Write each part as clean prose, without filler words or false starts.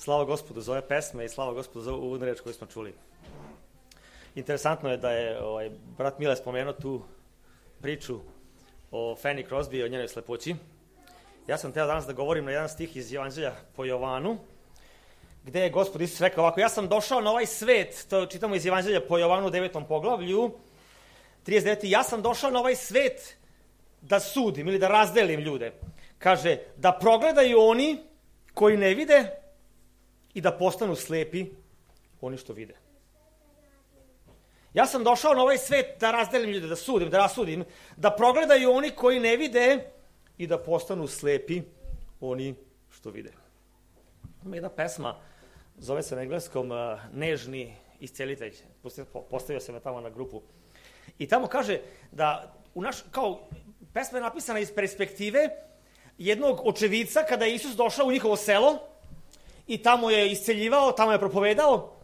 Slava Gospodu za ove pesme i slava Gospodu za uvodnu reč koju smo čuli. Interesantno je da je brat Mile spomenuo tu priču o Fanny Crosby i o njenoj slepoći. Ja sam teo danas da govorim na jedan stih iz Evanđelja po Jovanu, gde je Gospod Isus rekao ovako: ja sam došao na ovaj svet, to čitamo iz Evanđelja po Jovanu u 9. poglavlju, 39. Ja sam došao na ovaj svet da sudim ili da razdelim ljude. Kaže, da progledaju oni koji ne vide i da postanu slepi oni što vide. Ja sam došao na ovaj svet da razdelim ljude, da sudim, da rasudim, da progledaju oni koji ne vide i da postanu slepi oni što vide. Ima jedna pesma, zove se na engleskom Nežni iscelitelj. Postavio se me tamo na grupu. I tamo kaže da pesma je napisana iz perspektive jednog očevica kada je Isus došao u njihovo selo i tamo je isceljivao, tamo je propovedao.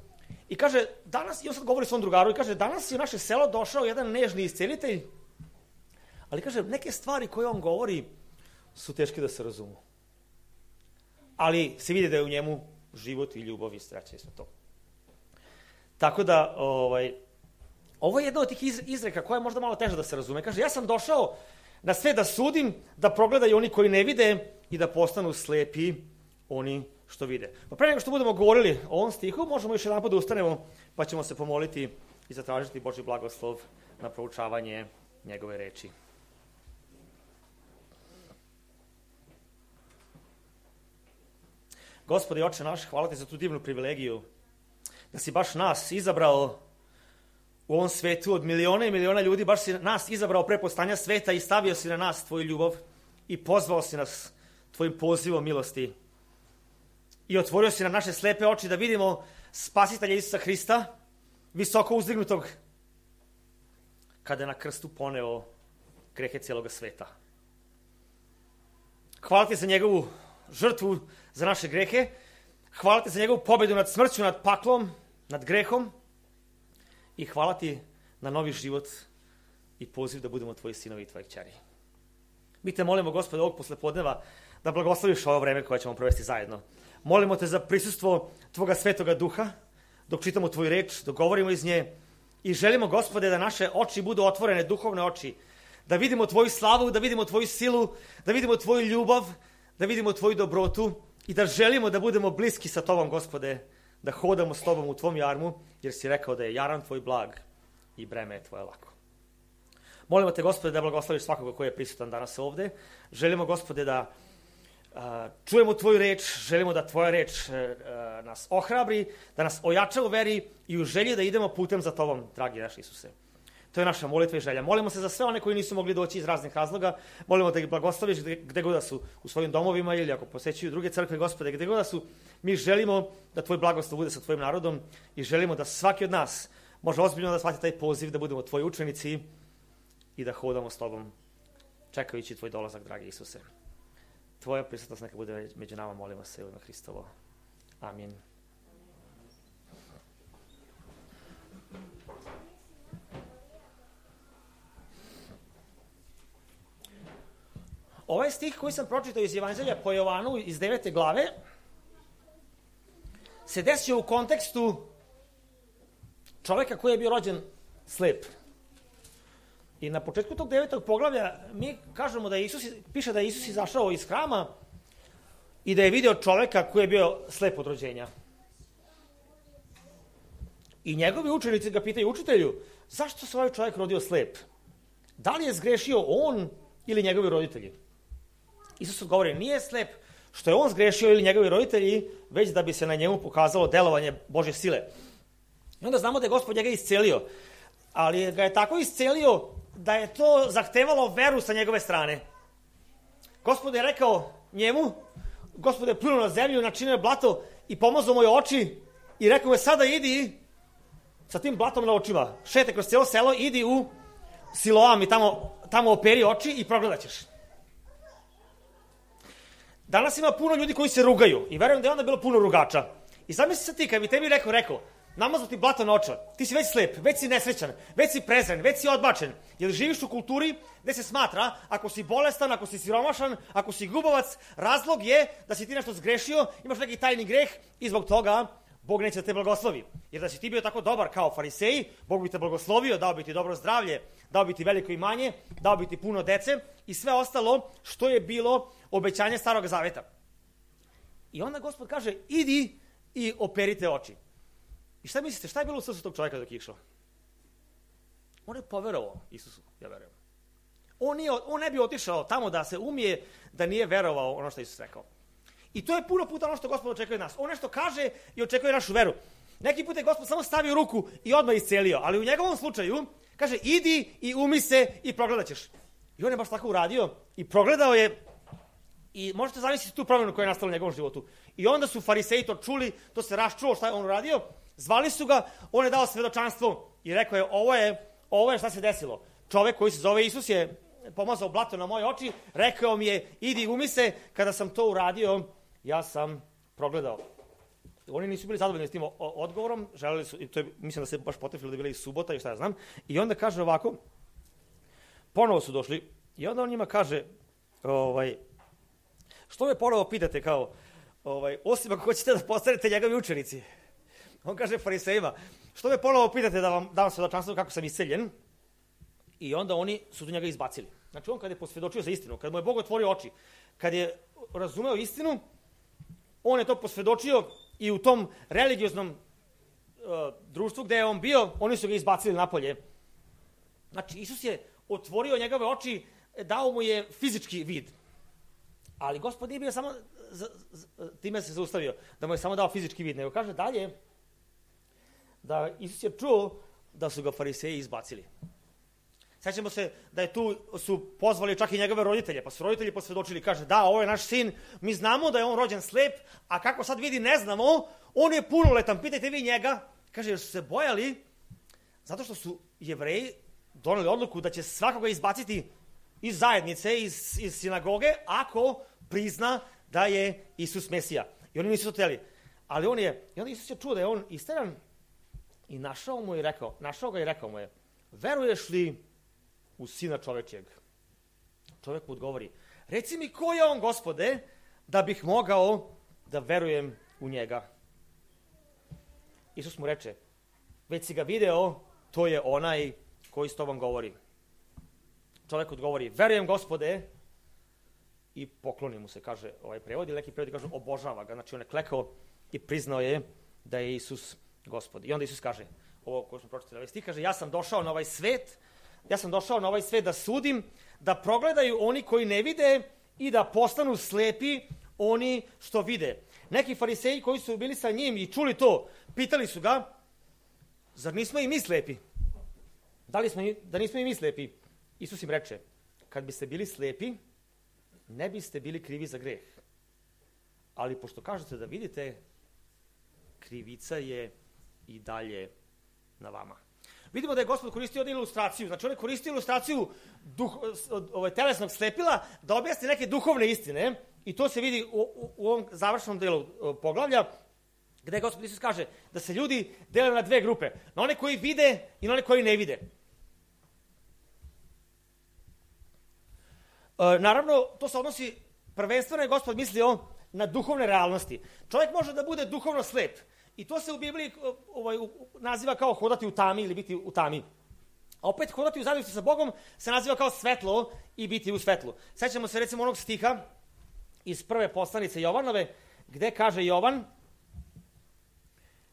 I kaže, danas, i on sad govori svom drugaru, i kaže, danas je u naše selo došao jedan nežni iscelitelj, ali kaže, neke stvari koje on govori su teške da se razumu. Ali se vidi da je u njemu život i ljubav i sreća i sve to. Tako da, ovo je jedna od tih izreka koja je možda malo teža da se razume. Kaže, ja sam došao na sve da sudim, da progledaju oni koji ne vide i da postanu slepi oni što vide. Pa pre nego što budemo govorili o ovom stihu, možemo još jedan put da ustanemo, pa ćemo se pomoliti i zatražiti Božji blagoslov na proučavanje njegove reči. Gospodи, Oče naš, hvala ti za tu divnu privilegiju da si baš nas izabrao u ovom svetu od miliona i miliona ljudi, baš si nas izabrao pre postanja sveta i stavio si na nas tvoju ljubav i pozvao si nas tvojim pozivom milosti. I otvorio si nam naše slepe oči da vidimo Spasitelja Isusa Hrista, visoko uzdignutog, kada je na krstu poneo grehe cijeloga sveta. Hvala ti za njegovu žrtvu za naše grehe, hvala ti za njegovu pobedu nad smrću, nad paklom, nad grehom i hvala ti na novi život i poziv da budemo tvoji sinovi i tvoje kćeri. Mi te molimo, Gospode, ovog poslepodneva da blagosloviš ovo vreme koje ćemo provesti zajedno. Molimo te za prisustvo tvoga svetoga duha, dok čitamo tvoju reč, dok govorimo iz nje i želimo, Gospode, da naše oči budu otvorene, duhovne oči, da vidimo tvoju slavu, da vidimo tvoju silu, da vidimo tvoju ljubav, da vidimo tvoju dobrotu i da želimo da budemo bliski sa tobom, Gospode, da hodamo s tobom u tvom jarmu, jer si rekao da je jaran tvoj blag i breme je tvoje lako. Molimo te, Gospode, da blagosloviš svakoga koji je prisutan danas ovde. Želimo, Gospode, da čujemo tvoju reč, želimo da tvoja reč nas ohrabri, da nas ojača u veri i u želji da idemo putem za tobom, dragi naš Isuse. To je naša molitva i želja. Molimo se za sve one koji nisu mogli doći iz raznih razloga. Molimo da ih blagosloviš gde god da su, u svojim domovima ili ako posećuju druge crkve, Gospode, gde god da su. Mi želimo da tvoj blagoslov bude sa tvojim narodom i želimo da svaki od nas može ozbiljno da shvati taj poziv, da budemo tvoji učenici i da hodamo s tobom, čekajući tvoj dolazak, dragi Isuse. Tvoja prisutnost neka bude među nama, molimo se u ime Hristovo. Amin. Ovaj stih koji sam pročitao iz Evanđelja po Jovanu iz 9. glave se desio u kontekstu čoveka koji je bio rođen slep. I na početku tog 9. poglavlja mi kažemo da piše da je Isus izašao iz hrama i da je video čoveka koji je bio slep od rođenja. I njegovi učenici ga pitaju: učitelju, zašto se ovaj čovjek rodio slep? Da li je zgrešio on ili njegovi roditelji? Isus odgovori: nije slep što je on zgrešio ili njegovi roditelji, već da bi se na njemu pokazalo delovanje Božje sile. I onda znamo da je Gospod njega iscelio, ali ga je tako iscelio da je to zahtevalo veru sa njegove strane. Gospod je rekao njemu, Gospod je pljunuo na zemlju, načinio je blato i pomazao moje oči i rekao je: sada idi sa tim blatom na očima, šetaj kroz cijelo selo, idi u Siloam i tamo operi oči i progledat ćeš. Danas ima puno ljudi koji se rugaju i verujem da je onda bilo puno rugača. I zamisli se ti, kad bi tebi rekao, namazao ti blato na oči. Ti si već slep, već si nesrećan, već si prezren, već si odbačen. Jer živiš u kulturi gde se smatra, ako si bolestan, ako si siromašan, ako si gubovac, razlog je da si ti nešto zgrešio, imaš neki tajni greh i zbog toga Bog neće da te blagoslovi. Jer da si ti bio tako dobar kao fariseji, Bog bi te blagoslovio, dao bi ti dobro zdravlje, dao bi ti veliko imanje, dao bi ti puno dece i sve ostalo što je bilo obećanje Starog Zaveta. I onda Gospod kaže, idi i operite oči. I šta mislite, šta je bilo u srcu tog čovjeka dok je išao? On je poverovao Isusu, ja verujem. On ne bi otišao tamo da se umije da nije verovao ono što je Isus rekao. I to je puno puta ono što Gospod očekuje od nas. On nešto kaže i očekuje našu veru. Neki put je Gospod samo stavio ruku i odmah iscelio, ali u njegovom slučaju kaže, idi i umi se i progledat ćeš. I on je baš tako uradio i progledao je. I možete zamisliti tu promjenu koja je nastala u njegovom životu. I onda su fariseji to čuli, to se raščulo šta je on uradio, zvali su ga, on je dao svedočanstvo i rekao je, ovo je šta se desilo. Čovek koji se zove Isus je pomazao blato na moje oči, rekao mi je, idi umi se, kada sam to uradio, ja sam progledao. Oni nisu bili zadovoljni s tim odgovorom, želeli su, i to je, mislim da se baš potrefilo da je bila i subota i šta ja znam, i onda kaže ovako, ponovo su došli, i onda on njima kaže, što me ponovo pitate kao, osim ako hoćete da postanete njegovi učenici. On kaže farisejima, što me ponovo pitate da vam dam svedočanstvo kako sam isceljen? I onda oni su do njega izbacili. Znači on kad je posvjedočio za istinu, kad mu je Bog otvorio oči, kad je razumeo istinu, on je to posvjedočio i u tom religioznom društvu gde je on bio, oni su ga izbacili napolje. Znači Isus je otvorio njegove oči, dao mu je fizički vid. Ali Gospod nije bio samo, time se zaustavio, da mu je samo dao fizički vid, nego kaže dalje da Isus je čuo da su ga fariseji izbacili. Sećamo se da je tu su pozvali čak i njegove roditelje, pa su roditelji posvjedočili, kaže da, ovo je naš sin, mi znamo da je on rođen slep, a kako sad vidi ne znamo, on je punoletan, pitajte vi njega, kaže jer su se bojali, zato što su Jevreji doneli odluku da će svakoga izbaciti iz zajednice, iz sinagoge, ako prizna da je Isus Mesija. I oni nisu to hteli. Ali on je, i onda Isus je čuo da je on isteran i našao ga i rekao mu je, veruješ li u Sina čovečijeg? Čovjek mu odgovori, reci mi ko je on, Gospode, da bih mogao da verujem u njega. Isus mu reče, već si ga video, to je onaj koji s tobom govori. Čovjek odgovori, verujem, Gospode, i pokloni mu se, kaže ovaj prevod, ili neki prevod kaže, obožava ga. Znači on je klekao i priznao je da je Isus Gospod. I onda Isus kaže, ovo koje smo pročitali, ovaj stih, kaže, ja sam došao na ovaj svet da sudim, da progledaju oni koji ne vide i da postanu slepi oni što vide. Neki fariseji koji su bili sa njim i čuli to, pitali su ga, zar nismo i mi slepi? Da nismo i mi slepi? Isus im reče, kad biste bili slepi, ne biste bili krivi za greh. Ali pošto kažete da vidite, krivica je i dalje na vama. Vidimo da je Gospod koristio jednu ilustraciju. Znači on je koristio ilustraciju telesnog slepila da objasni neke duhovne istine i to se vidi u ovom završnom delu poglavlja gde Gospod Isus kaže da se ljudi dele na dve grupe. Na one koji vide i na one koji ne vide. Naravno, to se odnosi, prvenstveno je Gospod mislio na duhovne realnosti. Čovjek može da bude duhovno slep. I to se u Bibliji naziva kao hodati u tami ili biti u tami. A opet hodati u zajedništvu sa Bogom se naziva kao svetlo i biti u svetlu. Sećamo se recimo onog stiha iz prve poslanice Jovanove, gde kaže Jovan,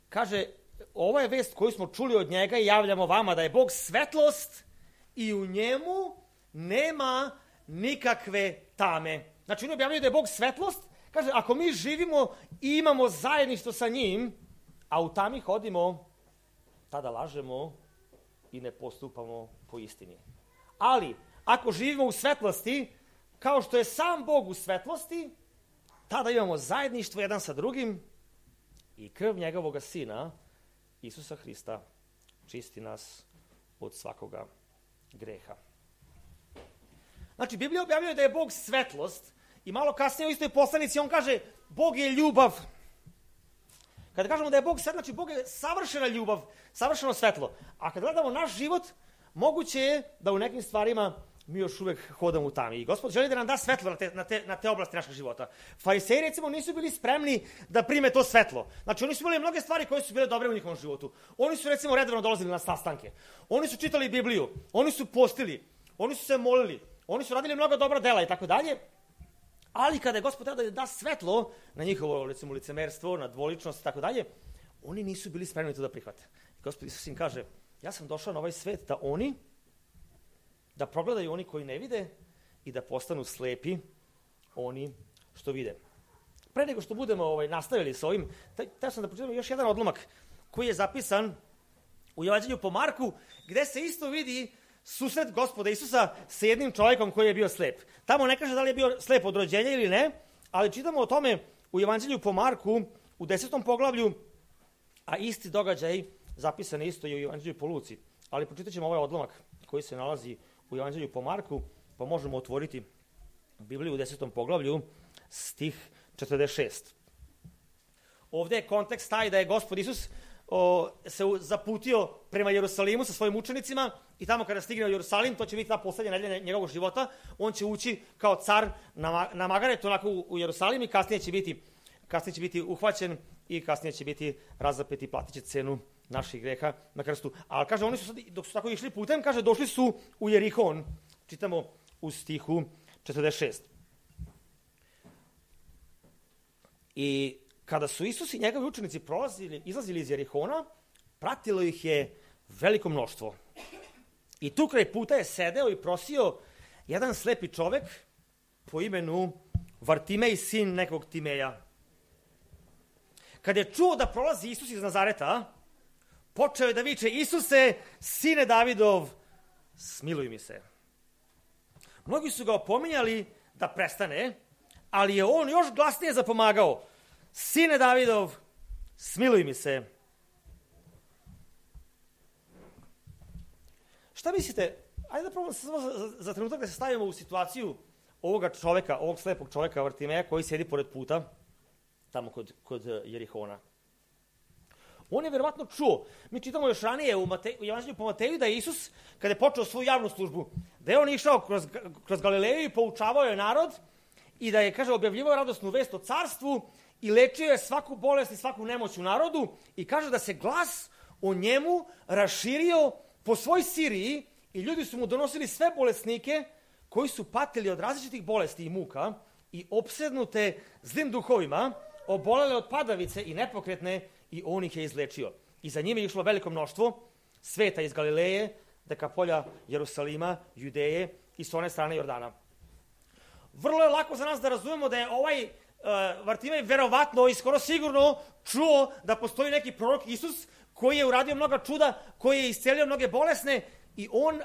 kaže, ovo je vest koju smo čuli od njega i javljamo vama, da je Bog svetlost i u njemu nema nikakve tame. Znači on objavljuje da je Bog svetlost, kaže, ako mi živimo i imamo zajedništvo sa njim, a u tami hodimo, tada lažemo i ne postupamo po istini. Ali, ako živimo u svetlosti, kao što je sam Bog u svetlosti, tada imamo zajedništvo jedan sa drugim i krv njegovog Sina, Isusa Hrista, čisti nas od svakoga greha. Znači, Biblija objavljuje da je Bog svetlost i malo kasnije u istoj poslanici on kaže, Bog je ljubav. Kada kažemo da je Bog svetlo, znači Bog je savršena ljubav, savršeno svetlo. A kad gledamo naš život, moguće je da u nekim stvarima mi još uvek hodamo u tami. I Gospod želi da nam da svetlo na te oblasti našeg života. Fariseji, recimo, nisu bili spremni da prime to svetlo. Znači, oni su imali mnoge stvari koje su bile dobre u njihovom životu. Oni su, recimo, redovno dolazili na sastanke. Oni su čitali Bibliju. Oni su postili. Oni su se molili. Oni su radili mnogo dobra dela i tako dalje. Ali kada je Gospod treba da da svetlo na njihovo, recimo, licemerstvo, na dvoličnost i tako dalje, oni nisu bili spremni to da prihvate. Gospod Isus im kaže, ja sam došao na ovaj svet da progledaju oni koji ne vide i da postanu slepi oni što vide. Pre nego što budemo nastavili sa ovim, teo sam da pročitamo još jedan odlomak koji je zapisan u Evanđelju po Marku, gde se isto vidi susret Gospoda Isusa sa jednim čovjekom koji je bio slep. Tamo ne kaže da li je bio slep od rođenja ili ne, ali čitamo o tome u Evanđelju po Marku u 10. poglavlju, a isti događaj zapisan isto i u Evanđelju po Luci. Ali pročitat ćemo ovaj odlomak koji se nalazi u Evanđelju po Marku, pa možemo otvoriti Bibliju u 10. poglavlju, stih 46. Ovde je kontekst taj da je Gospod Isus se zaputio prema Jerusalimu sa svojim učenicima i tamo kada stigne u Jerusalim, to će biti ta poslednja nedelja njegovog života, on će ući kao car na Magaret, onako u Jerusalim i kasnije će biti uhvaćen i kasnije će biti razapet i platit će cenu naših greha na krstu. Ali kaže, oni su sad, dok su tako išli putem, kaže, došli su u Jerihon. Čitamo u stihu 46. I kada su Isus i njegovi učenici izlazili iz Jerihona, pratilo ih je veliko mnoštvo. I tu kraj puta je sedeo i prosio jedan slepi čovek po imenu Vartimej, sin nekog Timeja. Kad je čuo da prolazi Isus iz Nazareta, počeo je da viče, Isuse, sine Davidov, smiluj mi se. Mnogi su ga opominjali da prestane, ali je on još glasnije zapomagao, sine Davidov, smiluj mi se. Šta mislite, ajde da probamo za trenutak da se stavimo u situaciju ovoga čoveka, ovog slepog čoveka Vartimeja koji sjedi pored puta, tamo kod Jerihona. On je verovatno čuo, mi čitamo još ranije u Evanđelju po Mateju da je Isus, kada je počeo svoju javnu službu, da je on išao kroz Galileju i poučavao je narod i da je, kaže, objavljivao radosnu vest o carstvu i lečio je svaku bolest i svaku nemoć u narodu i kaže da se glas o njemu raširio po svoj Siriji i ljudi su mu donosili sve bolesnike koji su patili od različitih bolesti i muka i opsednute zlim duhovima, obolele od padavice i nepokretne, i on ih je izlečio. I za njim je išlo veliko mnoštvo sveta iz Galileje, Dekapolja, Jerusalima, Judeje i s one strane Jordana. Vrlo je lako za nas da razumemo da je ovaj Vartimej verovatno i skoro sigurno čuo da postoji neki prorok Isus koji je uradio mnoga čuda, koji je iscelio mnoge bolesne,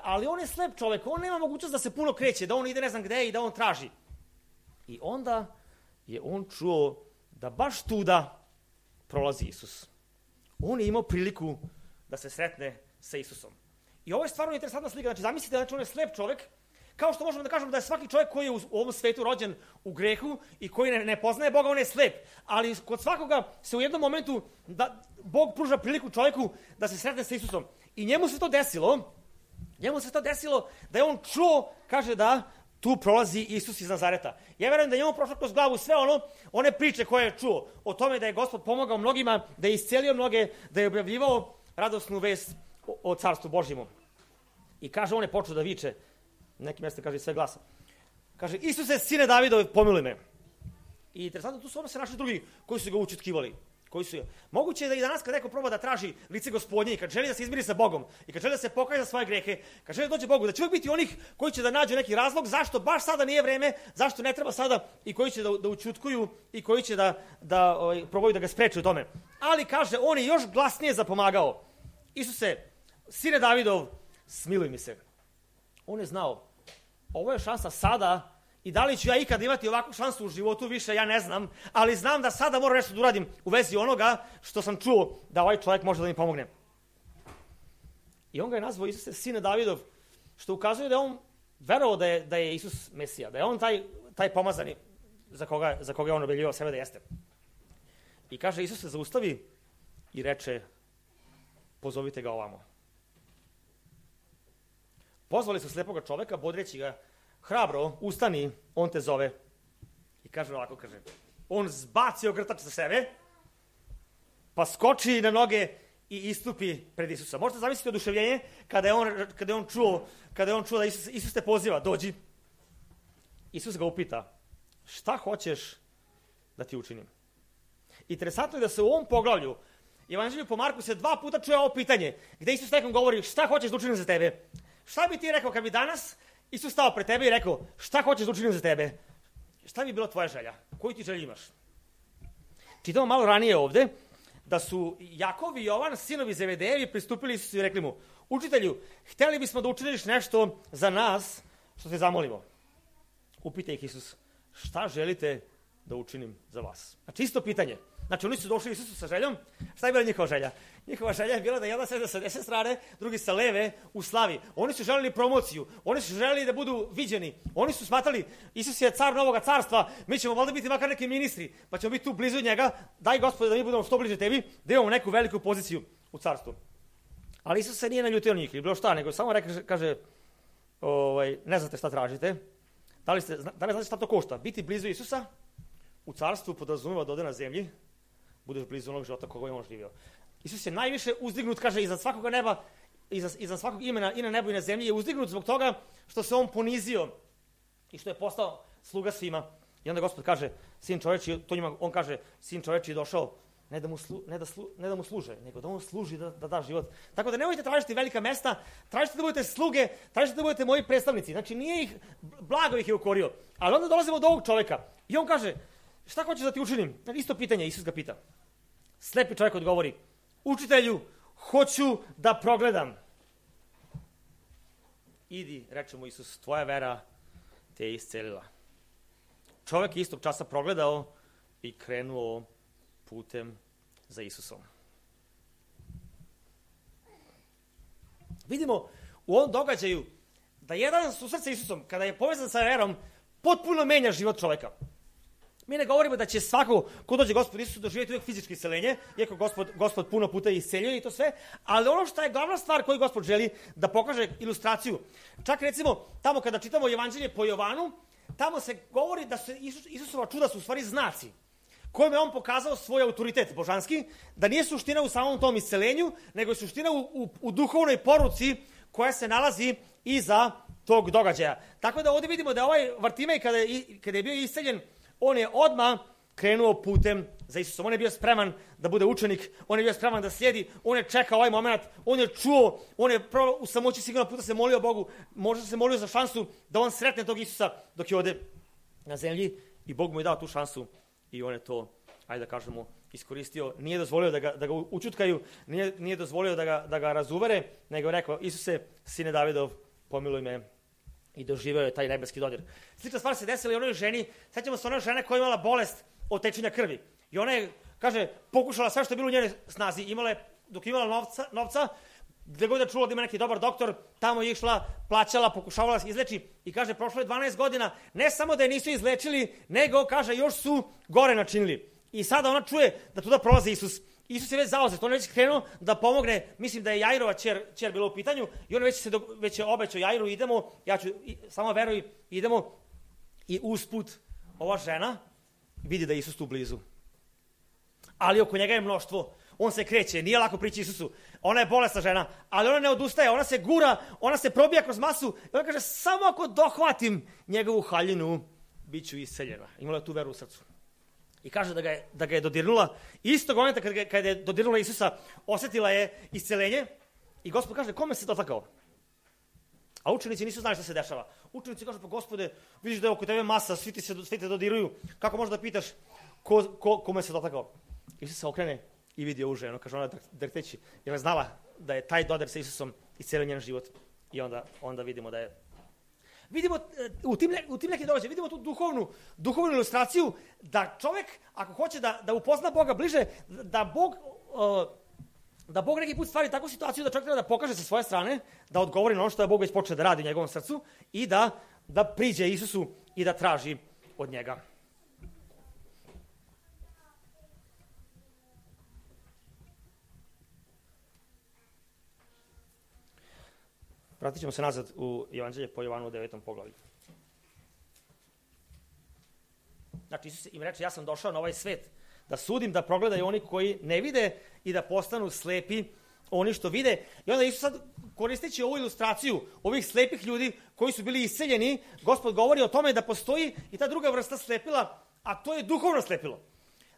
ali on je slep čovek, on nema mogućnost da se puno kreće, da on ide ne znam gde i da on traži. I onda je on čuo da baš tuda prolazi Isus. On je imao priliku da se sretne sa Isusom. I ovo je stvarno interesantna slika. Znači, zamislite, znači, on je slep čovek, kao što možemo da kažemo da je svaki čovjek koji je u ovom svetu rođen u grehu i koji ne poznaje Boga, on je slep. Ali kod svakoga se u jednom momentu Bog pruža priliku čovjeku da se sretne sa Isusom. I njemu se to desilo da je on čuo, kaže da tu prolazi Isus iz Nazareta. Ja verujem da je njemu prošlo kroz glavu sve one priče koje je čuo o tome da je Gospod pomogao mnogima, da je iscelio mnoge, da je objavljivao radosnu vest o carstvu Božjemu. I kaže, on je počeo da viče, neki mjesto kaže sve glasa. Kaže, Isuse, sine Davidov, pomiluj me. I interesantno, tu su se našli drugi koji su ga učutkivali. Moguće je da i danas kad neko proba da traži lice Gospodnje i kad želi da se izmiri sa Bogom i kad želi da se pokaje za svoje grehe, kad želi da dođe Bogu, da će uvijek biti onih koji će da nađu neki razlog zašto baš sada nije vreme, zašto ne treba sada i koji će da učutkuju i koji će da probaju da ga spreče u tome. Ali kaže, on je još glasnije zapomagao. Isuse, sine Davidov, smiluj mi se. On je znao, ovo je šansa sada. I da li ću ja ikad imati ovakvu šansu u životu, više ja ne znam, ali znam da sada moram nešto da uradim u vezi onoga što sam čuo da ovaj čovjek može da mi pomogne. I on ga je nazvao Isuse, sine Davidov, što ukazuje da je on verovao da je Isus Mesija, da je on taj pomazani za koga je on objavljivao sebe da jeste. I kaže, Isuse, zaustavi i reče, pozovite ga ovamo. Pozvali su slepoga čoveka, bodreći ga, hrabro, ustani, on te zove. I kaže ovako, on zbaci ogrtač sa sebe, pa skoči na noge i istupi pred Isusa. Možete zamisliti oduševljenje kada je on čuo da Isus te poziva, dođi. Isus ga upita, šta hoćeš da ti učinim? Interesantno je da se u ovom poglavlju Evanđelju po Marku se 2 puta čuje ovo pitanje, gde Isus nekom govori, šta hoćeš da učinim za tebe? Šta bi ti rekao kad bi danas Isus stao pred tebe i rekao, šta hoćeš da učinim za tebe? Šta bi bilo tvoja želja? Koju ti želju imaš? Čitamo malo ranije ovde da su Jakov i Jovan, sinovi Zebedejevi, pristupili Isusu i rekli mu, učitelju, hteli bismo da učiniš nešto za nas što te zamolimo. Upita ih Isus, šta želite da učinim za vas? Znači isto pitanje. Znači oni su došli Isusu sa željom. Šta je bila njihova želja? Njihova želja je bila da jedan sede sa desne strane, drugi sa leve u slavi. Oni su želeli promociju. Oni su želeli da budu viđeni. Oni su smatrali, Isus je car novoga carstva, mi ćemo valjda biti makar neki ministri, pa ćemo biti tu blizu njega. Daj Gospode da mi budemo što bliže tebi, da imamo neku veliku poziciju u carstvu. Ali Isus se nije naljutio njih, ili bilo šta, nego samo kaže, ne znate šta tražite. Da li znate šta to košta? Biti blizu Isusa u carstvu podrazumeva da ode na zemlji, budeš blizu onog života koga je on živio. Isus je najviše uzdignut, kaže, iznad svakoga neba, iznad svakog imena i na nebu i na zemlji je uzdignut zbog toga što se on ponizio i što je postao sluga svima. I onda Gospod kaže, sin čoveči, to njima on kaže, sin čoveči je došao ne da mu služe, nego da on služi da da život. Tako da nemojte tražiti velika mesta, tražite da budete sluge, tražite da budete moji predstavnici. Znači nije ih, blago ih je ukorio. Ali onda dolazimo do ovog čoveka i on kaže, šta hoćeš da ti učinim? Isto pitanje, Isus ga pita. Slepi čovjek odgovori, učitelju, hoću da progledam. Idi, reče mu Isus, tvoja vera te je iscelila. Čovjek je istog časa progledao i krenuo putem za Isusom. Vidimo u ovom događaju da jedan susret sa Isusom, kada je povezan sa verom, potpuno menja život čovjeka. Mi ne govorimo da će svako ko dođe Gospod Isusu doživjeti uvijek fizičko isceljenje, iako Gospod puno puta isceljuje i to sve, ali ono što je glavna stvar koju Gospod želi da pokaže ilustraciju. Čak recimo tamo kada čitamo Evanđelje po Jovanu, tamo se govori da su Isusova čuda su u stvari znaci kojim je on pokazao svoj autoritet božanski, da nije suština u samom tom iscelenju, nego je suština u duhovnoj poruci koja se nalazi iza tog događaja. Tako da ovdje vidimo da ovaj Vartimej kada je bio isceljen, on je odmah krenuo putem za Isusom. On je bio spreman da bude učenik, on je bio spreman da slijedi, on je čekao ovaj moment, on je čuo, on je u samoći sigurno puta se molio Bogu, možda se molio za šansu da on sretne tog Isusa dok je ovdje na zemlji i Bog mu je dao tu šansu i on je to, ajde da kažemo, iskoristio. Nije dozvolio da ga učutkaju, nije dozvolio da ga razuvere, nego je rekao, Isuse, sine Davidov, pomiluj me. I doživeo je taj nebeski dodir. Slična stvar se desila i onoj ženi, sećamo se one žene koja je imala bolest od tečenja krvi. I ona je, kaže, pokušala sve što je bilo u njenoj snazi. Dok je imala novca, gdje god je čula da ima neki dobar doktor, tamo je išla, plaćala, pokušavala se izleči. I kaže, prošlo je 12 godina, ne samo da je nisu izlečili, nego, kaže, još su gore načinili. I sada ona čuje da tuda prolazi Isus. Isus je već zauzet, on je već krenuo da pomogne, mislim da je Jairova ćer bila u pitanju i on već je obećao Jairu, idemo, ja ću, samo veruj, idemo i usput ova žena vidi da je Isus tu blizu. Ali oko njega je mnoštvo, on se kreće, nije lako prići Isusu, ona je bolesna žena, ali ona ne odustaje, ona se gura, ona se probija kroz masu i ona kaže, samo ako dohvatim njegovu haljinu, bit ću isceljena. Imala je tu veru u srcu. I kaže da ga je dodirnula. Istog momenta kada je dodirnula Isusa, osjetila je isceljenje. I Gospod kaže, kome se dotakao? A učenici nisu znali šta se dešava. Učenici kažu, pa Gospode, vidiš da je oko tebe masa, svi te dodiruju. Kako možeš da pitaš kome se dotakao? Isus se okrene i vidi ovu ženu. Kaže, ona drhteći. Jer je znala da je taj dodir sa Isusom iscelio njen život. I onda vidimo da je... Vidimo u tim nekim događajima, vidimo tu duhovnu ilustraciju da čovjek, ako hoće da upozna Boga bliže, da Bog neki put stvari takvu situaciju da čovjek treba da pokaže sa svoje strane, da odgovori na ono što je Bog već počeo da radi u njegovom srcu i da priđe Isusu i da traži od njega. vratit ćemo se nazad u Evanđelje po Jovanu u 9. poglavlju. Znači, Isus im reče, ja sam došao na ovaj svet da sudim, da progledaju oni koji ne vide i da postanu slepi oni što vide. I onda Isus sad, koristeći ovu ilustraciju ovih slepih ljudi koji su bili isceljeni, Gospod govori o tome da postoji i ta druga vrsta slepila, a to je duhovno slepilo.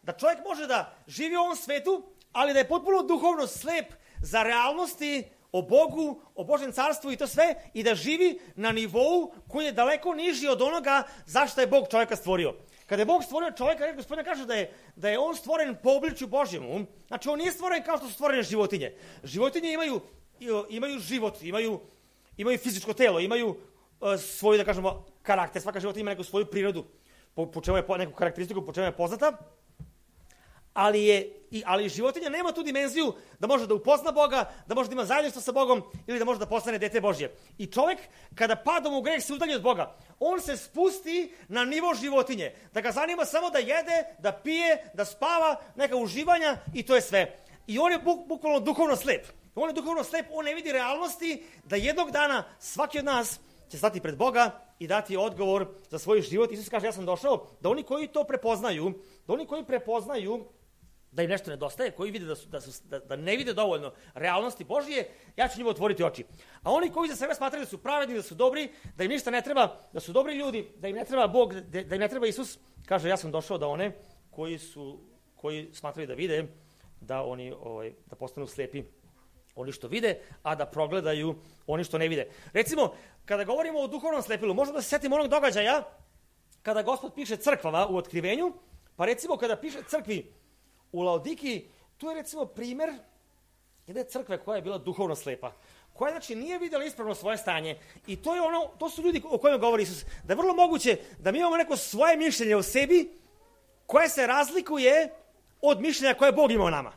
Da čovjek može da živi u ovom svetu, ali da je potpuno duhovno slep za realnosti o Bogu, o Božjem carstvu i to sve, i da živi na nivou koji je daleko niži od onoga zašto je Bog čovjeka stvorio. Kada je Bog stvorio čovjeka, Gospodin kaže da je on stvoren po obličju Božjemu. Znači, on nije stvoren kao što su stvorene životinje. Životinje imaju život, imaju fizičko telo, imaju svoju, da kažemo, karakter. Svaka životinja ima neku svoju prirodu, po čemu je neku karakteristiku, po čemu je poznata. Ali životinja nema tu dimenziju da može da upozna Boga, da može da ima zajedništvo sa Bogom ili da može da postane dete Božje. I čovjek, kada padom u greh, se udalji od Boga. On se spusti na nivo životinje. Da ga zanima samo da jede, da pije, da spava, neka uživanja i to je sve. I on je bukvalno duhovno slep. On je duhovno slep, on ne vidi realnosti da jednog dana svaki od nas će stati pred Boga i dati odgovor za svoj život. Isus kaže, ja sam došao da oni koji to prepoznaju, da im nešto nedostaje, koji vide da ne vide dovoljno realnosti Božije, ja ću njima otvoriti oči. A oni koji za sebe smatraju da su pravedni, da su dobri, da im ništa ne treba, da su dobri ljudi, da im ne treba Bog, da im ne treba Isus, kaže, ja sam došao da one koji smatraju da vide, da postanu slepi oni što vide, a da progledaju oni što ne vide. Recimo, kada govorimo o duhovnom slepilu, možemo da se setimo onog događaja kada Gospod piše crkvama u Otkrivenju, pa recimo kada piše crkvi u Laodikiji, tu je recimo primer jedne crkve koja je bila duhovno slepa, koja znači nije vidjela ispravno svoje stanje. I to su ljudi o kojima govori Isus, da je vrlo moguće da mi imamo neko svoje mišljenje o sebi koje se razlikuje od mišljenja koje Bog ima o nama.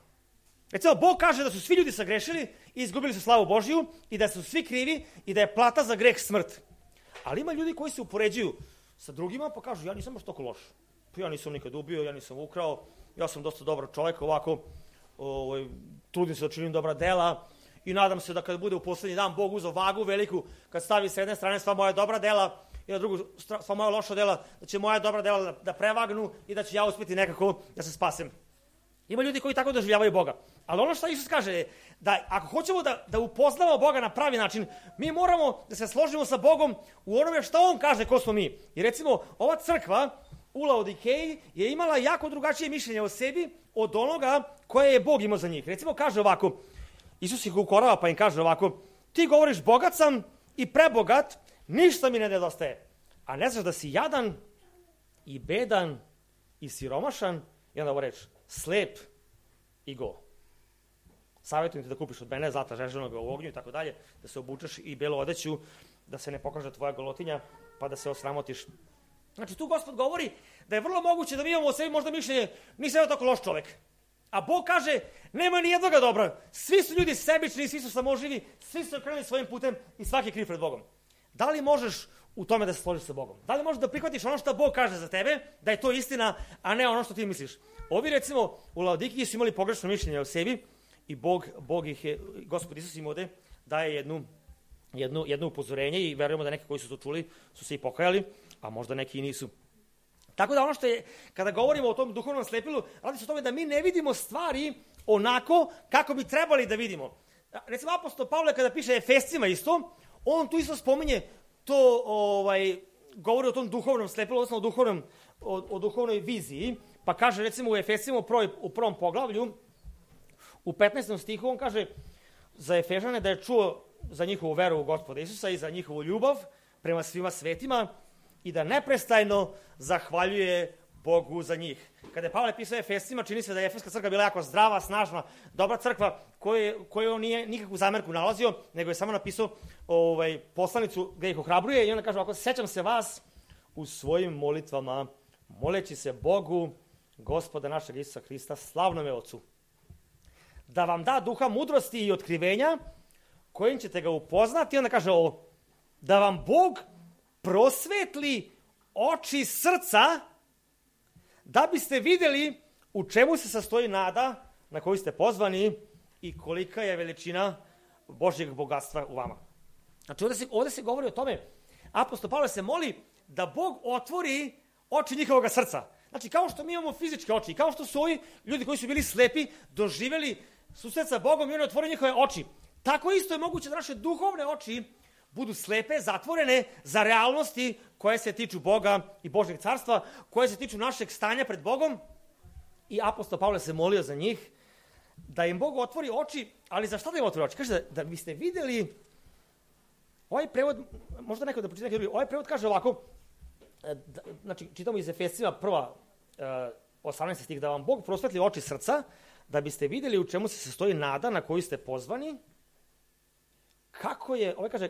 Recimo, Bog kaže da su svi ljudi sagrešili i izgubili su slavu Božiju i da su svi krivi i da je plata za greh smrt. Ali ima ljudi koji se upoređuju sa drugima pa kažu, ja nisam baš toliko loš. Pa ja nisam nikad ubio, ja nisam ukrao, ja sam dosta dobar čovjek, ovako, trudim se da činim dobra dela i nadam se da kad bude u posljednji dan Bog uzeo vagu veliku, kad stavi s jedne strane sva moja dobra dela i na drugu sva moja loša dela, da će moja dobra dela da prevagnu i da ću ja uspjeti nekako da se spasem. Ima ljudi koji tako doživljavaju Boga. Ali ono što Isus kaže je da ako hoćemo da upoznamo Boga na pravi način, mi moramo da se složimo sa Bogom u onome što On kaže ko smo mi. I recimo, ova crkva u Laodikeji je imala jako drugačije mišljenje o sebi od onoga koje je Bog imao za njih. Recimo, kaže ovako, Isus ih ukorava pa im kaže ovako, ti govoriš bogat sam i prebogat, ništa mi ne nedostaje. A ne znaš da si jadan i bedan i siromašan, i onda ovo reč, slep i go. Savjetujem ti da kupiš od mene zlata žeženoga u ognju i tako dalje, da se obučeš i belu odeću, da se ne pokaže tvoja golotinja, pa da se osramotiš. Znači, tu Gospod govori da je vrlo moguće da mi imamo o sebi možda mišljenje, nisam ja tako loš čovek. A Bog kaže, nema ni jednoga dobra. Svi su ljudi sebični, svi su samoživi, svi su okrenuli svojim putem i svaki je kriv pred Bogom. Da li možeš u tome da se složiš sa Bogom? Da li možeš da prihvatiš ono što Bog kaže za tebe, da je to istina, a ne ono što ti misliš? Ovi, recimo, u Laodikiji su imali pogrešno mišljenje o sebi i Bog ih je, Gospod Isus im ovde daje jedno upozorenje i verujemo da neki koji su to čuli su se i pokajali, a možda neki i nisu. Tako da ono što je, kada govorimo o tom duhovnom slepilu, radi se o tome da mi ne vidimo stvari onako kako bi trebali da vidimo. Recimo, apostol Pavle kada piše Efescima isto, on tu isto spominje to, govori o tom duhovnom slepilu, odnosno o duhovnoj viziji, pa kaže recimo u Efescima u prvom poglavlju, u 15. stihu, on kaže za Efežane da je čuo za njihovu veru u Gospoda Isusa i za njihovu ljubav prema svima svetima i da neprestajno zahvaljuje Bogu za njih. Kada je Pavle pisao Efescima, čini se da je Efeska crkva bila jako zdrava, snažna, dobra crkva, koju on nije nikakvu zamerku nalazio, nego je samo napisao poslanicu gdje ih ohrabruje i onda kaže ovako, sećam se vas u svojim molitvama, moleći se Bogu, Gospoda našeg Isusa Hrista, slavnome Ocu, da vam da duha mudrosti i otkrivenja, kojim ćete ga upoznati. I onda kaže ovo, da vam Bog prosvetli oči srca, da biste vidjeli u čemu se sastoji nada na koju ste pozvani i kolika je veličina Božjeg bogatstva u vama. Znači, ovde se govori o tome, apostol Pavle se moli da Bog otvori oči njihovog srca. Znači, kao što mi imamo fizičke oči, kao što su ovi ljudi koji su bili slepi, doživjeli susret sa Bogom i on otvori njihove oči. Tako isto je moguće da naše duhovne oči budu slepe, zatvorene za realnosti koje se tiču Boga i Božjeg carstva, koje se tiču našeg stanja pred Bogom. I apostol Pavle se molio za njih da im Bog otvori oči, ali za šta da im otvori oči? Kaže da biste vidjeli, ovaj prevod, možda neko da pročita, ovaj prevod kaže ovako, znači čitamo iz Efesima 18. stih, da vam Bog prosvetli oči srca, da biste vidjeli u čemu se sastoji nada na koju ste pozvani,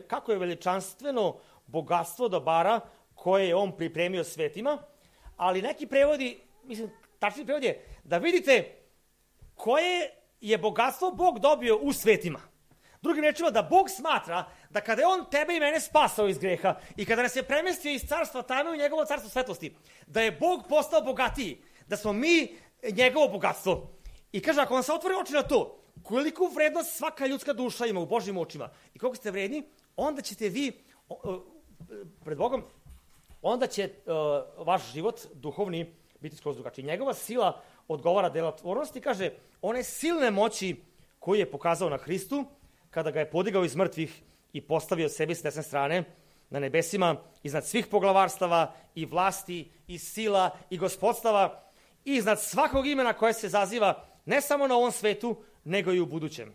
kako je veličanstveno bogatstvo dobara koje je on pripremio svetima, ali neki prevodi, mislim, tačni prevod je da vidite koje je bogatstvo Bog dobio u svetima. Drugim rečima, da Bog smatra da kada je on tebe i mene spasao iz greha i kada nas je premestio iz carstva tame u njegovo carstvo svetlosti, da je Bog postao bogatiji, da smo mi njegovo bogatstvo. I kaže, ako vam se otvori oči na to, koliku vrednost svaka ljudska duša ima u Božjim očima i koliko ste vredni, onda ćete vi pred Bogom, onda će vaš život duhovni biti skroz drugačiji. Njegova sila odgovara delotvornosti, kaže, one silne moći koju je pokazao na Hristu, kada ga je podigao iz mrtvih i postavio sebi s desne strane na nebesima, iznad svih poglavarstava i vlasti i sila i gospodstava i iznad svakog imena koje se zaziva ne samo na ovom svetu, nego i u budućem.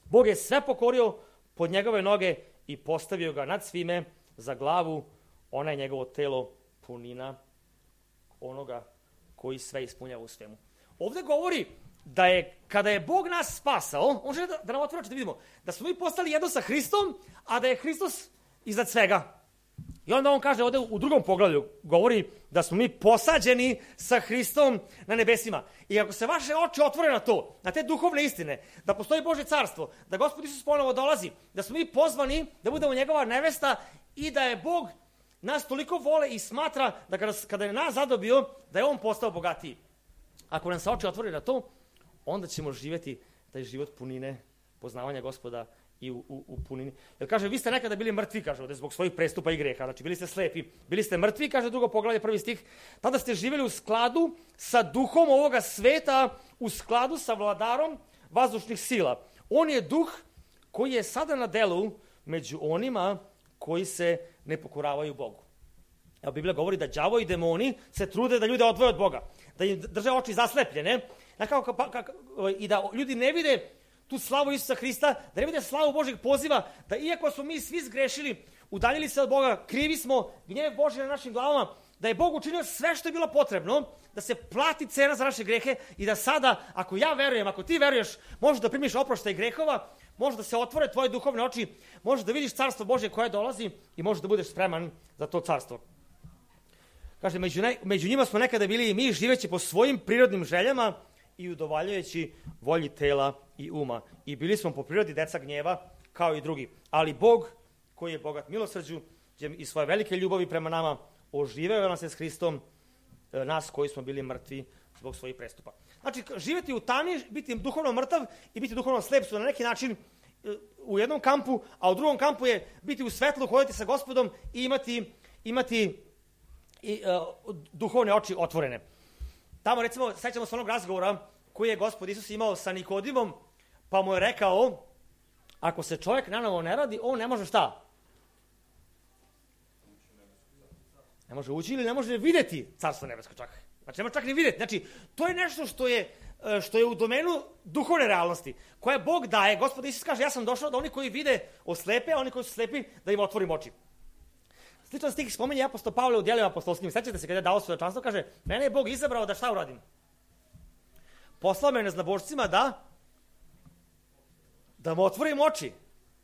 Bog je sve pokorio pod njegove noge i postavio ga nad svime za glavu, ona je njegovo telo, punina onoga koji sve ispunjava u svemu. Ovdje govori da je, kada je Bog nas spasao, on želi da nam otvori oči da vidimo da smo mi postali jedno sa Hristom, a da je Hristos iznad svega. I onda on kaže ovdje u drugom poglavlju, govori da smo mi posađeni sa Hristom na nebesima. I ako se vaše oči otvore na to, na te duhovne istine, da postoji Božje carstvo, da Gospod Isus ponovo dolazi, da smo mi pozvani da budemo njegova nevesta i da je Bog nas toliko vole i smatra da kada je nas zadobio, da je on postao bogatiji. Ako nam se oči otvore na to, onda ćemo živjeti taj život punine, poznavanja Gospoda i u punini. Jer kaže, vi ste nekada bili mrtvi, kaže ovdje, zbog svojih prestupa i greha. Znači, bili ste slepi, bili ste mrtvi, kaže drugo poglavlje, 1. stih. Tada ste živjeli u skladu sa duhom ovoga sveta, u skladu sa vladarom vazdušnih sila. On je duh koji je sada na delu među onima koji se ne pokoravaju Bogu. Evo, Biblija govori da đavo i demoni se trude da ljude odvoje od Boga, da im drže oči zaslepljene, i da ljudi ne vide tu slavu Isusa Hrista, da ne vide slavu Božjeg poziva, da iako smo mi svi zgrešili, udaljili se od Boga, krivi smo, gnjev Božji na našim glavama, da je Bog učinio sve što je bilo potrebno, da se plati cena za naše grehe i da sada, ako ja verujem, ako ti veruješ, možeš da primiš oproštaj grehova, možeš da se otvore tvoje duhovne oči, možeš da vidiš carstvo Božje koje dolazi i možeš da budeš spreman za to carstvo. Kaže, među njima smo nekada bili i mi, živeći po svojim prirodnim željama i udovaljujući volji tela i uma. I bili smo po prirodi deca gnjeva, kao i drugi. Ali Bog, koji je bogat milosrđu i svoje velike ljubavi prema nama, oživeo nas je s Hristom, nas koji smo bili mrtvi zbog svojih prestupa. Znači, živjeti u tami, biti duhovno mrtav i biti duhovno slep su na neki način u jednom kampu, a u drugom kampu je biti u svetlu, hoditi sa Gospodom i imati duhovne oči otvorene. Tamo, recimo, sećamo se onog razgovora koji je Gospod Isus imao sa Nikodimom, pa mu je rekao, ako se čovjek nanovo ne radi, on ne može šta? Ne može ući ili ne može vidjeti carstvo nebesko čak. Znači, ne može čak ni vidjeti. Znači, to je nešto što je u domenu duhovne realnosti, koje Bog daje. Gospod Isus kaže, ja sam došao da oni koji vide oslepe, a oni koji su slepi, da im otvorim oči. Sličan stih spominje apostol Pavle u djelima apostolskim. Sećate se kada je dao svedočanstvo, kaže, mene je Bog izabrao da šta uradim? Poslao me neznabošcima da mu otvorim oči.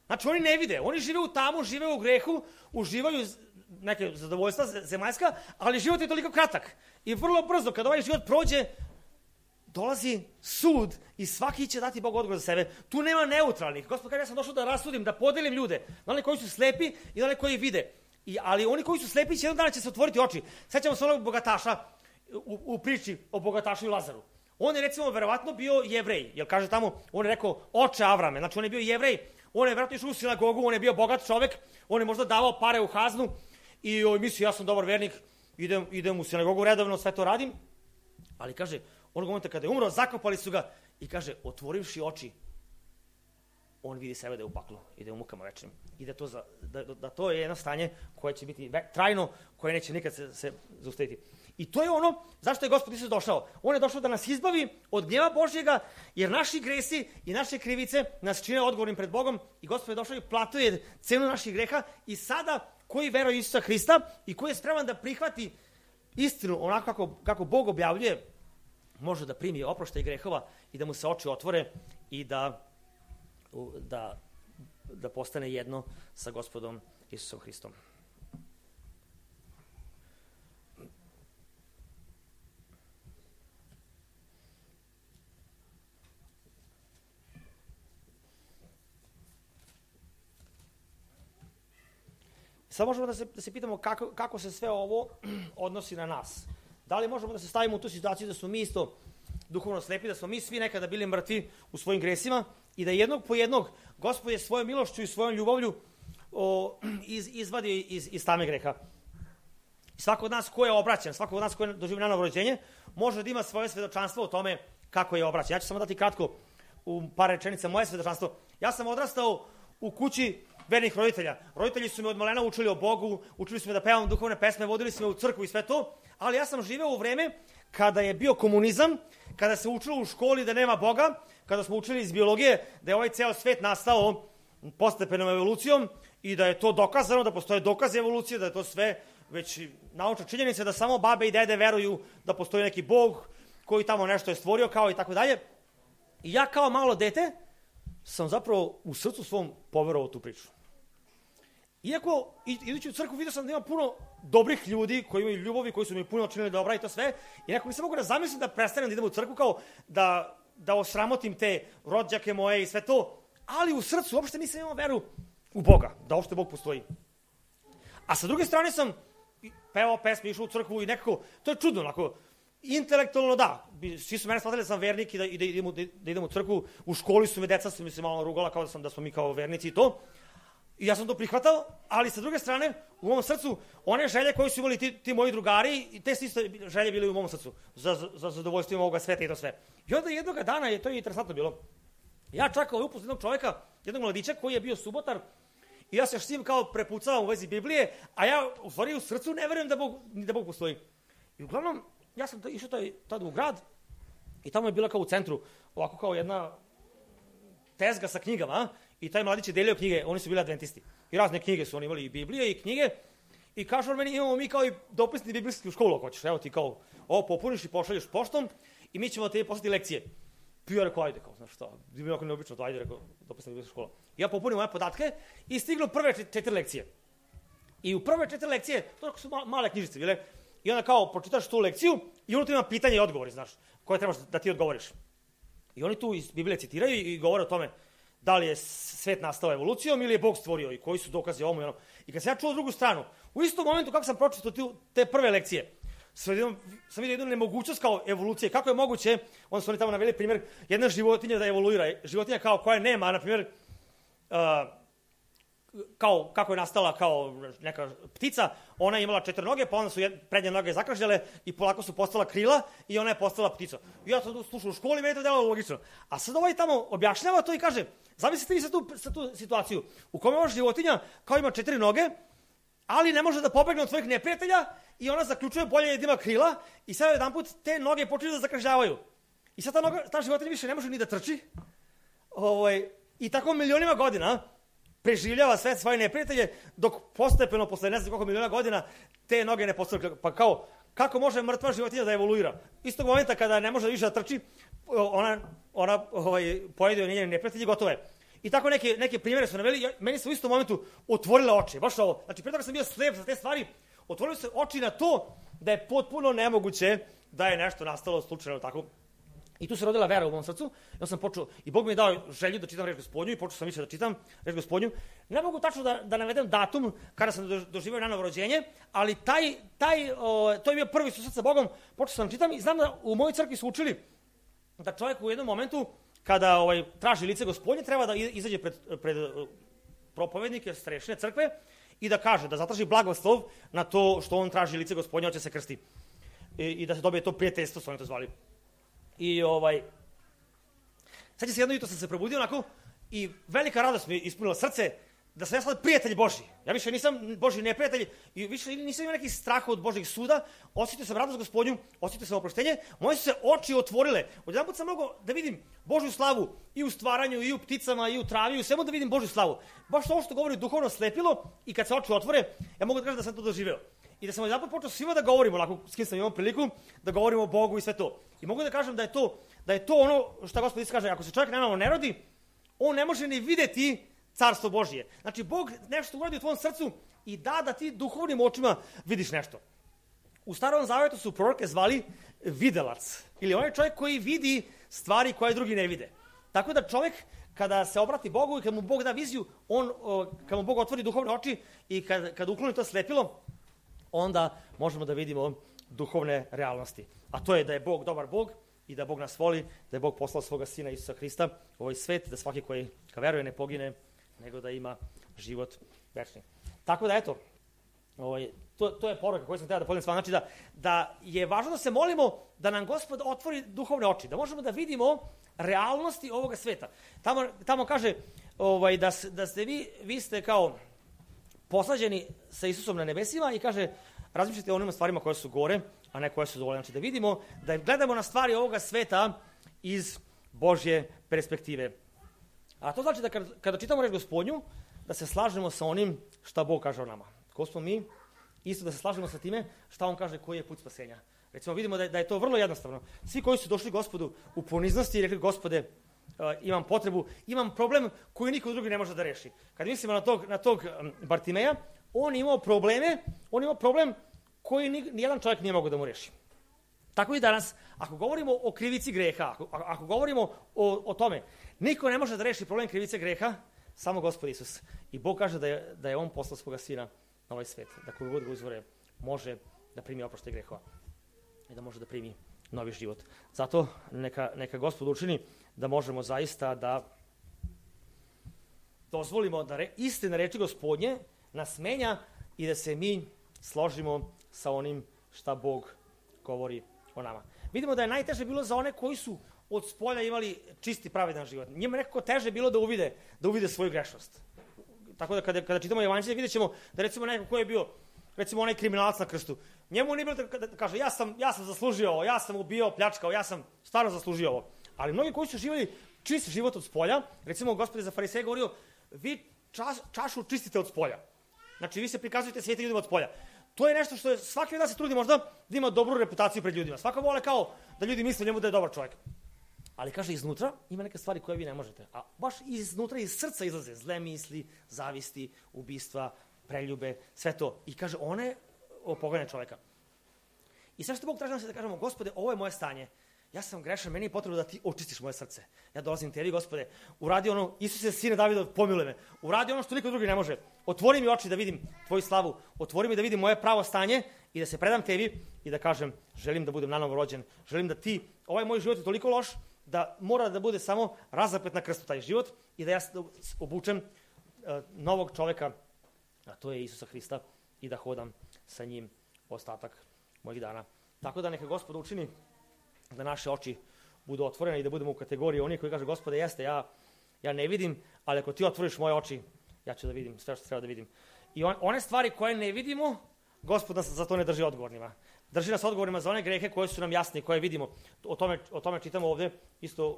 Znači, oni ne vide, oni žive u tamu, žive u grehu, uživaju neke zadovoljstva zemaljska, ali život je toliko kratak. I vrlo brzo, kada ovaj život prođe, dolazi sud i svaki će dati Bog odgovor za sebe. Tu nema neutralnih. Gospod kaže, ja sam došao da rasudim, da podelim ljude, na oni koji su slepi i na oni koji vide. Ali oni koji su slepi će jednog dana će se otvoriti oči. Sećamo se onog bogataša u priči o bogatašu i Lazaru. On je, recimo, verovatno bio Jevrej, jer kaže tamo, on je rekao, oče Avrame, znači on je bio Jevrej, on je vjerojatno išao u sinagogu, on je bio bogat čovek, on je možda davao pare u haznu i mislio, ja sam dobar vernik, idem u sinagogu redovno, sve to radim, ali kaže, onog momenta kada je umro, zakopali su ga i kaže, otvorivši oči, on vidi sebe da je u paklu i da je u mukama večnim. I da to je jedno stanje koje će biti trajno, koje neće nikad se zaustaviti. I to je ono zašto je Gospod Isus došao. On je došao da nas izbavi od gnjeva Božjega, jer naši gresi i naše krivice nas čine odgovornim pred Bogom i Gospod je došao i platuje cenu naših greha i sada koji veruje Isusa Hrista i koji je spreman da prihvati istinu onako kako Bog objavljuje, može da primi oproštaj grehova i da mu se oči otvore i da postane jedno sa Gospodom Isusom Hristom. Sad možemo da se pitamo kako se sve ovo odnosi na nas. Da li možemo da se stavimo u tu situaciju da smo mi isto duhovno slepi, da smo mi svi nekada bili mrtvi u svojim gresima i da jednog po jednog Gospod je svojom milošću i svojom ljubavlju izvadio iz tame greha. Svako od nas ko je obraćan, svako od nas ko je doživio novo rođenje, može da ima svoje svedočanstvo o tome kako je obraćan. Ja ću samo dati kratko u par rečenica moje svedočanstvo. Ja sam odrastao u kući vernih roditelja. Roditelji su me od malena učili o Bogu, učili su me da pevam duhovne pesme, vodili su me u crkvu i sve to, ali ja sam živeo u vreme kada je bio komunizam, kada se učilo u školi da nema Boga, kada smo učili iz biologije da je ovaj ceo svet nastao postepenom evolucijom i da je to dokazano, da postoje dokaze evolucije, da je to sve već naučna činjenica, da samo babe i dede veruju da postoji neki Bog koji tamo nešto je stvorio kao i tako dalje. I ja kao malo dete sam zapravo u srcu svom poverovao tu priču. Iako, idući u crkvu, vidio sam da ima puno dobrih ljudi koji imaju ljubavi, koji su mi puno činili dobra i to sve, i nekako nisam mogu da zamislim da prestanem da idem u crkvu kao da osramotim te rođake moje i sve to, ali u srcu uopšte nisam imao veru u Boga, da uopšte Bog postoji. A sa druge strane sam pevao pesme, išao u crkvu i nekako, to je čudno, onako, intelektualno da, svi su mene shvatili da sam vernik i da idem u crkvu, u školi su me, deca su mi se malo rugala kao da smo mi kao vernici i to, i ja sam to prihvatao, ali sa druge strane, u mom srcu, one želje koje su imali ti moji drugari, i te isto želje bile u mom srcu, za zadovoljstvo ovoga sveta i to sve. I onda jednog dana, to je interesantno bilo, ja čak upoznao jednog čoveka, jednog mladića koji je bio subotar, i ja se s njim kao prepucavam u vezi Biblije, a ja u stvari u srcu ne verujem da Bog postoji. I uglavnom, ja sam išao tada u grad i tamo je bila kao u centru, ovako kao jedna tezga sa knjigama, i taj mladić je delio knjige, oni su bili adventisti. I razne knjige su oni imali, i Biblije i knjige, i kažu on meni, imamo mi kao i dopisni biblijski u školu ako hoćeš, evo ti kao, ovo popuniš i pošalješ poštom i mi ćemo te poslati lekcije. I ja rekao, ajde, kao, znaš šta, bi bilo ako neobično, to ajde, rekao, dopisna biblijska škola. I ja popunim moje podatke i stignu prve 4 lekcije. I u prve 4 lekcije, to su male knjižice bile, i onda kao pročitaš tu lekciju i unutra ima pitanje i odgovori, znaš, koje trebaš da ti odgovoriš. I oni tu iz Biblije citiraju i govore o tome da li je svet nastao evolucijom ili je Bog stvorio i koji su dokazi ovom i onom. I kad sam ja čuo drugu stranu, u istom momentu kako sam pročitao te prve lekcije, sam vidio jednu nemogućnost kao evolucije. Kako je moguće, onda su oni tamo naveli primjer, jedna životinja da evoluira. Životinja kao koja nema, na primjer, kao kako je nastala kao neka ptica, ona je imala 4 noge, pa onda su prednje noge zakržljale i polako su postala krila i ona je postala ptica. I ja sam slušao u školi, meni to delo logično. A sad ovaj tamo objašnjava to i kaže, zamislite vi sa tu situaciju u kome ova životinja kao ima 4 noge, ali ne može da pobegne od svojih neprijatelja i ona zaključuje bolje da ima krila i sad jedanput te noge počinju da zakržljavaju. I sad ta životinja više ne može ni da trči. I tako milionima godina preživljava sve svoje neprijatelje, dok postepeno, posle ne znam koliko miliona godina, te noge ne postaju. Pa kao, kako može mrtva životinja da evoluira? Istog momenta kada ne može više da trči, ona pojede njene neprijatelje i gotovo je. I tako neke primjere su naveli, meni se u istom momentu otvorile oči, baš ovo. Znači, pre toga sam bio slep za te stvari, otvorili se oči na to da je potpuno nemoguće da je nešto nastalo slučajno tako. I tu se rodila vera u mom srcu, ja sam počeo, i Bog mi je dao želju da čitam reč Gospodnju i počeo sam više da čitam reč Gospodnju. Ne mogu tačno da navedem datum kada sam doživio na novo rođenje, ali to je bio prvi susret sa Bogom, počeo sam čitam i znam da u mojoj crkvi su učili da čovjek u jednom momentu kada traži lice Gospodnje, treba da izađe pred propovednike, starešine crkve i da kaže, da zatraži blagoslov na to što on traži lice Gospodnje, hoće se krsti. I da se dobije to prijateljstvo, su oni to zvali. I sad se jedno jutro sam se probudio onako i velika radost mi ispunila srce da sam ja sad prijatelj Božji. Ja više nisam Božji neprijatelj i više nisam imao nekih straha od Božjih suda, osjetio sam radost Gospodnju, osjetio sam oproštenje, moje su se oči otvorile. Odjedanput sam mogao da vidim Božju slavu i u stvaranju, i u pticama, i u travi, i u svemu da vidim Božju slavu. Baš ovo što govori duhovno slepilo i kad se oči otvore, ja mogu da kažem da sam to doživeo. I da sam odjedanput počeo svima da govorimo, onako s kim sam imao priliku, da govorimo o Bogu i sve to. I mogu da kažem da je to ono što Gospod Isus kaže, ako se čovjek nanovo ne rodi, on ne može ni videti Carstvo Božije. Znači, Bog nešto uradi u tvojom srcu i da ti duhovnim očima vidiš nešto. U Starom Zavetu su proroke zvali videlac. Ili onaj čovjek koji vidi stvari koje drugi ne vide. Tako da čovjek, kada se obrati Bogu i kad mu Bog da viziju, kad mu Bog otvori duhovne oči i kad ukloni to slepilo, onda možemo da vidimo duhovne realnosti. A to je da je Bog dobar Bog i da Bog nas voli, da je Bog poslao svoga Sina Isusa Hrista u ovaj svet, da svaki koji ka veruje ne pogine, nego da ima život večni. Tako da, eto, to je poruka koju sam htio da podijelim s vama. Znači da je važno da se molimo da nam Gospod otvori duhovne oči, da možemo da vidimo realnosti ovoga sveta. Tamo kaže da ste vi ste kao posađeni sa Isusom na nebesima i kaže razmišljate o onim stvarima koje su gore, a ne koje su dole. Znači da vidimo, da gledamo na stvari ovoga sveta iz Božje perspektive. A to znači da kada čitamo reč Gospodnju, da se slažemo sa onim šta Bog kaže o nama. Ko smo mi, isto da se slažemo sa time šta on kaže koji je put spasenja. Recimo vidimo da je to vrlo jednostavno. Svi koji su došli Gospodu u poniznosti i rekli Gospode, imam potrebu, imam problem koji niko drugi ne može da reši. Kad mislimo na tog Bartimeja, on imao problem koji nijedan čovjek nije mogao da mu reši. Tako i danas, ako govorimo o krivici greha, ako govorimo o tome, niko ne može da reši problem krivice greha, samo Gospod Isus. I Bog kaže da je on poslao svoga Sina na ovaj svet, da koji god ga uzvore može da primi oproštaj grehova i da može da primi novi život. Zato neka Gospod učini da možemo zaista da dozvolimo da istina reči Gospodnje nas menja i da se mi složimo sa onim šta Bog govori o nama. Vidimo da je najteže bilo za one koji su od spolja imali čisti pravedan život. Njima nekako teže bilo da uvide svoju grešnost. Tako da kada čitamo Evanđelje vidjet ćemo da recimo neko ko je bio recimo onaj kriminalac na krstu. Njemu nije bilo da kaže ja sam zaslužio ovo, ja sam ubio, pljačkao, ja sam stvarno zaslužio ovo. Ali mnogi koji su živjeli čist život od spolja, recimo Gospod je za fariseje govorio, vi čašu čistite od spolja. Znači vi se prikazujete svijetim ljudima od spolja. To je nešto što je svaki od nas se trudi možda da ima dobru reputaciju pred ljudima. Svako vole kao da ljudi misle njemu da je dobar čovjek. Ali kaže iznutra ima neke stvari koje vi ne možete. A baš iznutra iz srca izlaze zle misli, zavisti, ubistva, preljube, sve to. I kaže one opogane čovjeka. I sve što Bog traži nas je da kažemo Gospode, ovo je moje stanje. Ja sam grešan, meni je potrebno da ti očistiš moje srce. Ja dolazim tebi, Gospode, uradi ono, Isuse, sine Davidov, pomiluj me. Uradi ono što niko drugi ne može. Otvori mi oči da vidim tvoju slavu. Otvori mi da vidim moje pravo stanje i da se predam tebi i da kažem, želim da budem nanovo rođen. Želim da ti, ovaj moj život je toliko loš da mora da bude samo razapet na krstu taj život i da ja obučem novog čoveka, a to je Isusa Hrista, i da hodam sa njim ostatak mojih dana. Tako da neka Gospod učini da naše oči budu otvorene i da budemo u kategoriji onih koji kaže Gospode, jeste, ja ne vidim, ali ako ti otvoriš moje oči, ja ću da vidim sve što treba da vidim. I one stvari koje ne vidimo, Gospod nas za to ne drži odgovornima. Drži nas odgovornima za one grehe koje su nam jasne, koje vidimo. O tome čitamo ovde, isto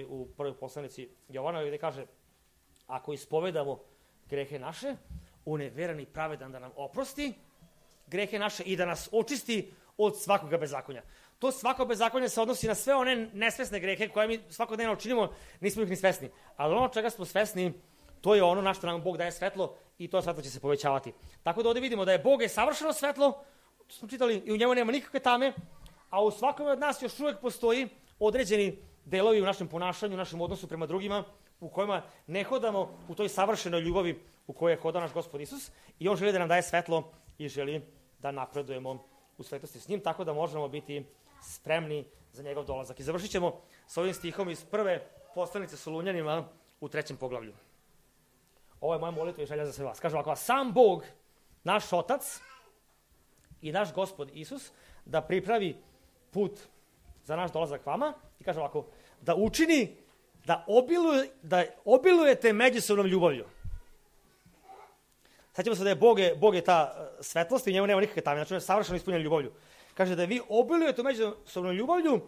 u prvoj poslanici Jovana, gde kaže, ako ispovedamo grehe naše, on je veran i pravedan da nam oprosti grehe naše i da nas očisti od svakoga bezakonja. To svako bezakonje se odnosi na sve one nesvesne grehe koje mi svakodnevno činimo, nismo ih ni svesni. Ali ono čega smo svesni, to je ono na što nam Bog daje svetlo i to svetlo će se povećavati. Tako da ovdje vidimo da je Bog je savršeno svetlo, to smo čitali, i u njemu nema nikakve tame, a u svakome od nas još uvijek postoji određeni delovi u našem ponašanju, u našem odnosu prema drugima, u kojima ne hodamo u toj savršenoj ljubavi u kojoj je hodao naš Gospod Isus i on želi da nam daje svetlo i želi da napredujemo u svetosti s njim, tako da možemo biti spremni za njegov dolazak. I završit ćemo s ovim stihom iz 1. poslanice Solunjanima u 3. poglavlju. Ovo je moja molitva i želja za sve vas. Kaže ovako, sam Bog, naš Otac i naš Gospod Isus, da pripravi put za naš dolazak vama i kaže ovako, da učini, da obilujete međusobnom ljubavlju. Sjećamo se da je Bog je ta svetlost i njemu nema nikakve tajne, znači on je savršeno ispunjen ljubavlju. Kaže da vi obilujete međusobnom ljubavlju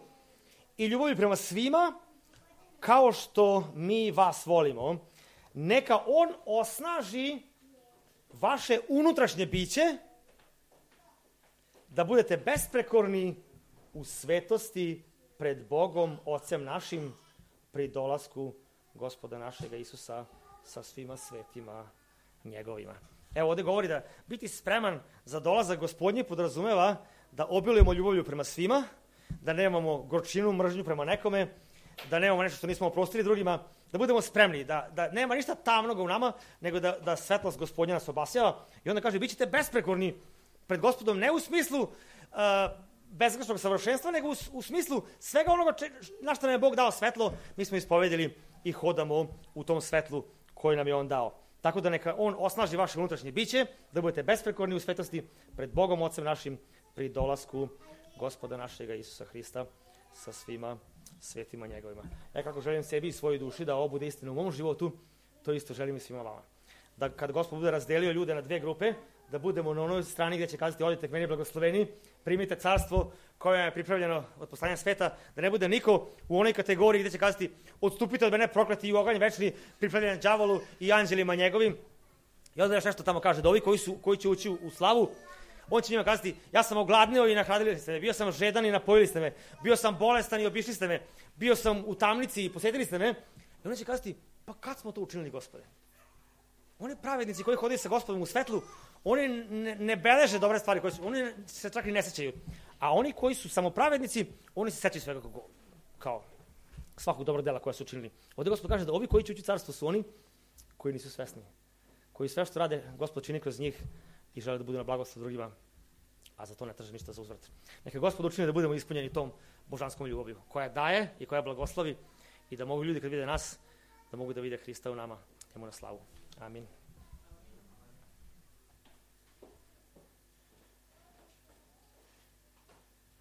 i ljubavlju prema svima, kao što mi vas volimo. Neka on osnaži vaše unutrašnje biće, da budete besprekorni u svetosti pred Bogom, Ocem našim, pri dolasku Gospoda našega Isusa sa svima svetima njegovima. Evo ovdje govori da biti spreman za dolazak Gospodnji podrazumeva da obilujemo ljubavlju prema svima, da nemamo gorčinu, mržnju prema nekome, da nemamo nešto što nismo oprostili drugima, da budemo spremni, da nema ništa tamnoga u nama, nego da svetlost Gospodnja nas obasjava. I onda kaže, bit ćete besprekorni pred Gospodom, ne u smislu bezgrešnog savršenstva, nego u smislu svega onoga na što nam je Bog dao svetlo, mi smo ispovedili i hodamo u tom svetlu koji nam je on dao. Tako da neka on osnaži vaše unutrašnje biće, da budete besprekorni u svetosti pred Bogom, Ocem našim, pri dolasku Gospoda našega Isusa Hrista sa svima svetima njegovima. Kako želim sebi i svojoj duši da ovo bude istina u mom životu, to isto želim i svima vama. Da kad Gospod bude razdelio ljude na 2 grupe, da budemo na onoj strani gdje će kazati odite k meni blagosloveni, primite carstvo koje je pripravljeno od poslanja sveta, da ne bude niko u onoj kategoriji gdje će kazati odstupite od mene prokleti i u oganj večni, pripravljen đavolu i anđelima njegovim. I onda još nešto tamo kaže, da ovi koji će ući u slavu, on će njima kazati, ja sam ogladnio i nahradili ste me, bio sam žedan i napojili ste me, bio sam bolestan i obišli ste me, bio sam u tamnici i posjetili ste me. I onda će kazati, pa kad smo to učinili, Gospode? Oni pravednici koji hodaju sa Gospodom u svetlu, oni ne beleže dobre stvari, oni se čak i ne sećaju. A oni koji su samo pravednici, oni se sećaju svega kao svakog dobrog dela koja su učinili. Ovdje Gospod kaže da ovi koji će ući carstvo su oni koji nisu svesni. Koji sve što rade, Gospod čini kroz njih i žele da budu na blagoslov drugima, a za to ne traže ništa za uzvrat. Neka Gospod učini da budemo ispunjeni tom božanskom ljubavlju, koja daje i koja blagoslovi i da mogu ljudi kad vide nas, da mogu da vide Hrista u nama, njemu na slavu. Amin.